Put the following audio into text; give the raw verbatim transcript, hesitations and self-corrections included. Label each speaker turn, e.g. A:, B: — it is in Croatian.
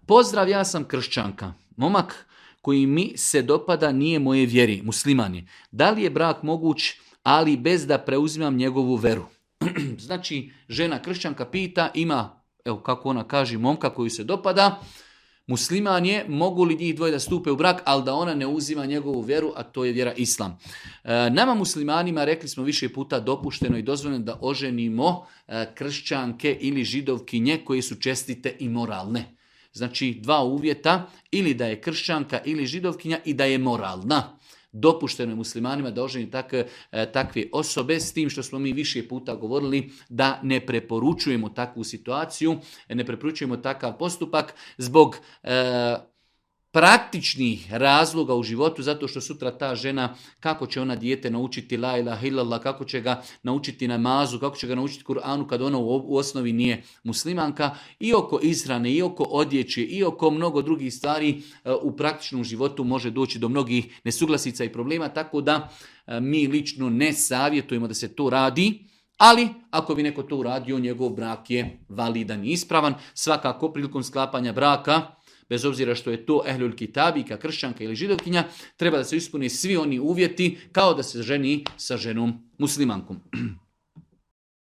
A: pozdrav, ja sam kršćanka. Momak koji mi se dopada nije moje vjeri, musliman je. Da li je brak moguć, ali bez da preuzimam njegovu veru? Znači, žena kršćanka pita, ima, evo kako ona kaže, momka koji se dopada, musliman je, mogu li njih dvoje da stupe u brak, ali da ona ne uzima njegovu vjeru, a to je vjera islam. E, nama muslimanima, rekli smo više puta, dopušteno i dozvoljeno da oženimo e, kršćanke ili židovkinje koje su čestite i moralne. Znači, dva uvjeta, ili da je kršćanka ili židovkinja i da je moralna. Dopušteno je muslimanima da oženi takve, takve osobe, s tim što smo mi više puta govorili da ne preporučujemo takvu situaciju, ne preporučujemo takav postupak zbog e, praktičnih razloga u životu, zato što sutra ta žena, kako će ona dijete naučiti la ilaha illallah, kako će ga naučiti namazu, kako će ga naučiti Kur'anu kad ona u osnovi nije muslimanka, i oko ishrane, i oko odjeće, i oko mnogo drugih stvari u praktičnom životu može doći do mnogih nesuglasica i problema, tako da mi lično ne savjetujemo da se to radi. Ali, ako bi neko to uradio, njegov brak je validan i ispravan. Svakako, prilikom sklapanja braka, bez obzira što je to ehlul kitabika, kršćanka ili židovkinja, treba da se ispune svi oni uvjeti kao da se ženi sa ženom muslimankom.